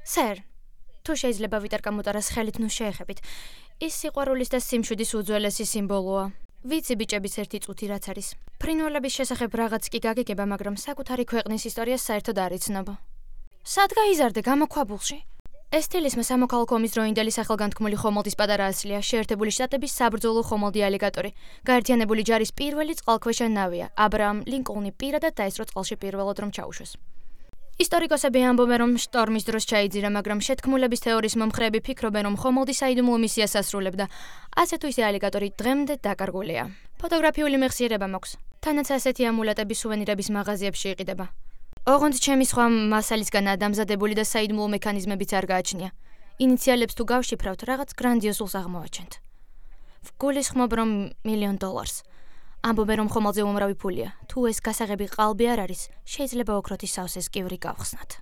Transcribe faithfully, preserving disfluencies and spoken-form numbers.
სერ, თუ შეიძლება ვიტარ გამოტარას ხელით ნუ შეეხებით. ის სიყვარულის და სიმშვიდის უძველესი სიმბოლოა. ვიცი ბიჭების ერთი წუთი რაც არის. ფრინველების შესახებ რაღაც კი გაგიგება, მაგრამ საკუთარი ქვეყნის ისტორიას საერთოდ არ იცნობ. სად გაიზარდე გამოქვაბულში? ეს თილისმა სამოქალაქო ომის დროინდელი სახელგანთქმული ხომალდის პატარა ასლია, შეერთებული შტატების საბრძოლო ხომალდი ალიგატორი. გაერთიანებული ჯარის პირველი წყალქვეშა ნავია. აბრაამ ლინკოლნი პირადად დაესწრო წყალში პირველად რომ ჩაუშვეს. ისტორიკოსები ამბობენ, რომ შტორმის დროს ჩაიძირა, მაგრამ შეთქმულების თეორიის მომხრეები ფიქრობენ, რომ ხომალდი საიდუმლო მისიას ასრულებდა. ასე თუ ისე ალიგატორი დღემდე დაკარგულია. ფოტოგრაფიული მეხსიერება მაქვს. თანაც ასეთი ამულეტები სუვენირების მაღაზიებში იყიდება. ოღონდ ჩემი სხვა მასალისგანაა დამზადებული და საიდუმლო მექანიზმებიც არ გააჩნია. ინიციალებს თუ გავშიფრავთ, რაღაც გრანდიოზულს აღმოვაჩენთ. ვგულისხმობ, რომ მილიონ დოლარს. ამბობენ, რომ ხომალდზე უმრავი ფულია. თუ ეს გასაღები ყალბი არ არის, შეიძლება ოქროთი სავსეს კივრი გავხსნათ.